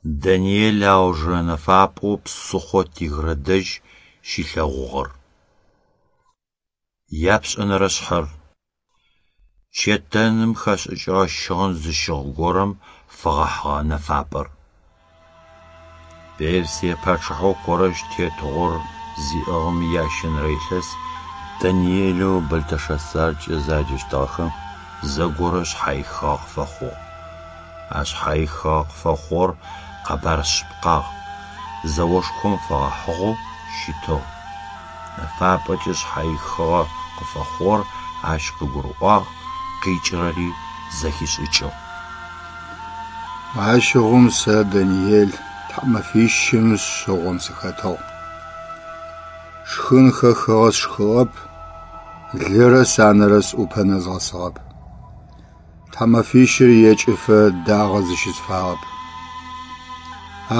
Даниел аужырэ нэфапӏэу псыхъоу Тигрэ дэжь щилъэгъугъэр. Япшӏэнэрэ шъхьэр: Чэтэным хэшӏыкӏыгъэ щыгъын зыщыгъ горэм фэгъэхьыгъэ нэфапӏэр. Персие пачъыхьэу Корэщ тетыгъор зиӏыгъым иящэнэрэ илъэс Даниелэу Бэлтэшэцаркӏэ заджэщтыгъэхэм зэгорэ шъхьаихыгъэ къыфэхъугъ. А шъхьаихыгъэ къыфэхъугъэр къэбар шъыпкъагъ, зэошхом фэгъэхьыгъэу щытыгъ. Нэфапӏэкӏэ шъхьаихыгъэ къыфэхъугъэр ащ къыгурыӏуагъ, къикӏырэри зэхишӏыкӏыгъ. Ащыгъум сэ, Даниел, тхьамэфищым шъыгъом сыхэтыгъ. Шхын хэхыгъэ сшхыгъэп, лырэ санэрэ сӏупэ нэзгъэсыгъэп. Тхьамэфищыр екӏыфэ дагъэ зыщысфагъэп.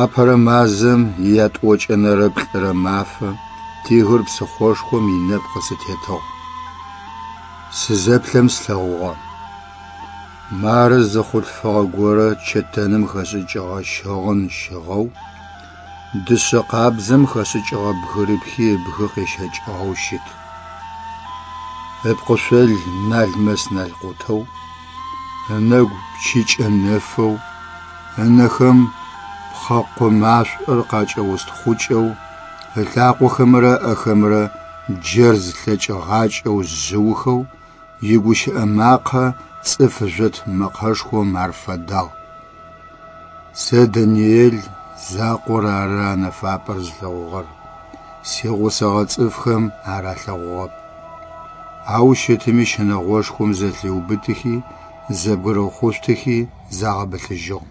Апэрэ мазэм иятӏокӏэнэрэ плӏырэ мафэ Тигр псыхъошхом инэпкъы сытетыгъ. Сызэплъэм слъэгъугъэ. Мары зы хъулъфыгъэ горэ чэтэным хэшӏыкӏыгъэ щыгъын щыгъэу, дышъэ къабзэм хэшӏыкӏыгъэ бгырыпхи ыбгы къещэкӏыгъэу щыт. Ыпкъышъол налмэс-налкъутэу, ынэгу пчыкӏэ нэфэу, ынэхэм пхъэкъо машӏор къакӏэустхъукӏэу, ылъакъохэмрэ ыӏэхэмрэ джэрз лъэкӏыгъакӏэу жъыухэу, игущыӏэ макъэ цӏыф жъот мэкъэшхом ар фэдагъ. Сэ, Даниел, закъор ары а нэфапӏэр зылъэгъугъэр, сигъусэгъэ цӏыфхэм ар алъэгъугъэп. Ау щытми щынэгъошхом зэлъиубытыхи, зэбгырыхъушъутыхи загъэбылъыжьыгъ.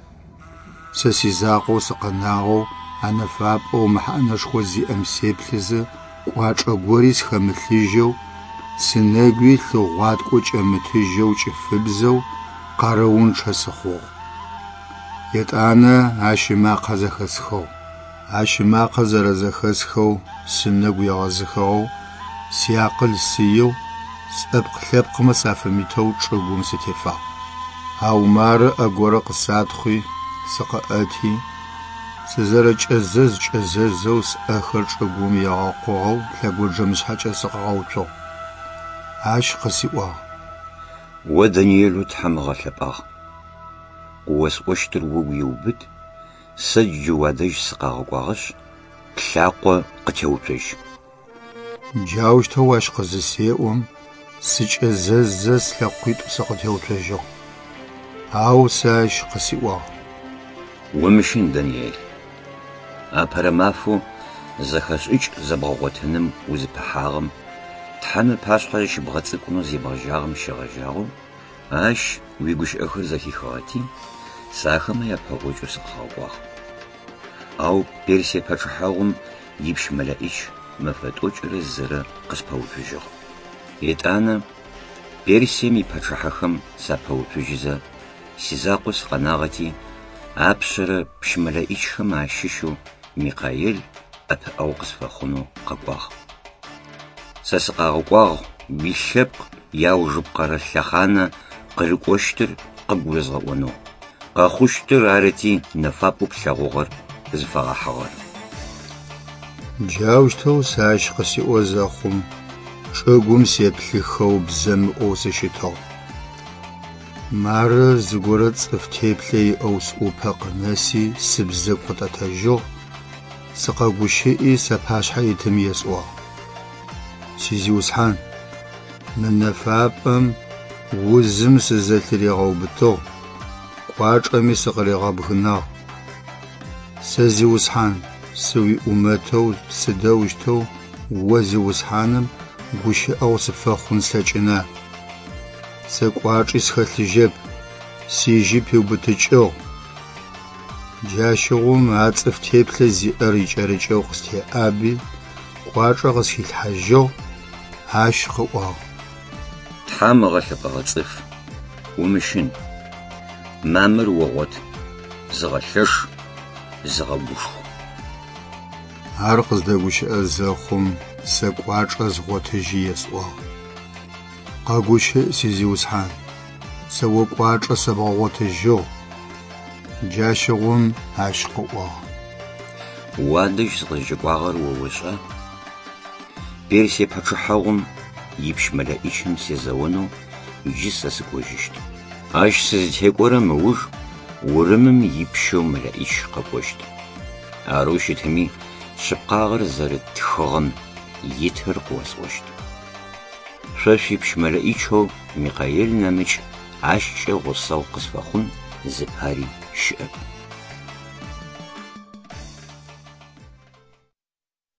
Сэ сизакъоу сыкъэнагъэу а нэфапӏэу мэхьанэшхо зиӏэм сеплъызэ, кӏуачӏэ гори схэмылъыжьэу, сынэгуи лъы гъуаткӏо кӏэмытыжьэу кӏыфыбзэу, къарыунчъэ сыхъугъ. Етӏанэ ащ ымакъэ зэхэсхыгъ. Ащ ымакъэ зэрэзэхэсхэу сынэгу егъэзыхыгъэу, сиакъыл сыеу, сӏэпкъ-лъэпкъмэ сафэмытэу чӏыгум сытефагъ. Ау мары ӏэ горэ къысатхъуи, сыкъыӏэти, сызэрэкӏэзэз-кӏэзэзэу сӏэхэр чӏыгум егъэкъугъэу лъэгонджэмышъхьэкӏэ сыкъыгъэуцугъ. Ащ къысиӏуагъ. О Даниелэу Тхьэм ыгъэлъэпӏагъ. Къыосӏощтыр угу иубыт, сэ джы уадэжь сыкъагъэкӏуагъэшъ, плъакъо къытеуцожь. Джаущтэу ащ къызысеӏом, сыкӏэзэззэ слъэкъуитӏу сыкъытеуцожьыгъ. Ау сэ ащ къысиӏуагъ. Умыщын, Даниел. Апэрэ мафэу зэхэшӏыкӏ зэбгъэгъотыным узыпыхьагъэм, Тхьэм ыпашъхьэ зыщыбгъэцӏыкӏунэу зебгъэжьагъэм щегъэжьагъэу, Ащ уигущыӏэхэр зэхихыгъэти, сэ ахэмэ япэгъокӏэу сыкъыгъэкӏуагъ. Ау Персие пачъыхьэгъум ипщ мэлэӏич мэфэ тӏокӏырэ зырэ къыспэуцужьыгъ. Етӏанэ Персием ипачъыхьэхэм сапэуцужьызэ, сизакъоу сыкъэнагъэти, апшъэрэ пщ мэлэӏичхэм ащыщэу Микъаел ӏэпыӏэгъу къысфэхъунэу къэкӏуагъ. Сэ сыкъагъэкӏуагъ уилъэпкъ иаужыпкъэрэ лъэхъанэ къырыкӏощтыр къыбгурызгъэӏонэу, къэхъущтыр арыти нэфапӏэу плъэгъугъэр зыфэгъэхьыгъэр. Джаущтэу сэ ащ къысиӏо зэхъум, чӏыгум сеплъыхэу бзэмыӏоу сыщытыгъ. Мары зыгорэ цӏыф теплъэ иӏэу сӏупэ къынэси сыбзэгу къытӏэтэжьыгъ, сыкъэгущыӏи сапашъхьэ итым есӏуагъ: Сизиусхьан, мы нэфапӏэм узым сызэлъыригъэубытыгъ, кӏуачӏэми сыкъыригъэбгынагъ. Сэ, Зиусхьан, сыуиӏумэтэу сыдэущтэу о Зиусхьаным гущыӏэгъу сыфэхъун слъэкӏына? Сэ кӏуачӏи схэлъыжьэп, сижьи пиубытыкӏыгъ. Джащыгъум а цӏыф теплъэ зиӏэр икӏэрыкӏэу къыстеӏаби, кӏуачӏэ къысхилъхьажьыгъ, ащ къыӏуагъ. Тхьэм ыгъэлъэпӏэгъэ цӏыф, умыщын, мамыр огъот, зыгъэлъэш, зыгъэгушху. Ар къыздэгущыӏэ зэхъум, сэ кӏуачӏэ згъотыжьи есӏуагъ. Къэгущыӏ, си Зиусхьан, сэ о кӏуачӏэ сэбгъэгъотыжьыгъ. Джащыгъум ащ къыӏуагъ: Уадэжь сыкъызкӏэкӏуагъэр о ошӏа? Персие пачъыхьэгъум ипщ мэлэӏичым сезэонэу джы сэ сыкӏожьыщт. Ащ сызытекӏорэм ыуж Урымым ипщэу мэлэӏич къэкӏощт. Арэу щытми, шъыпкъагъэр зэрыт тхыгъэм итыр къыосӏощт. Шъо шъуипщ мэлэӏичэу Микъаел нэмыкӏ ащкӏэ гъусэгъу къысфэхъун зыпари щыӏэп.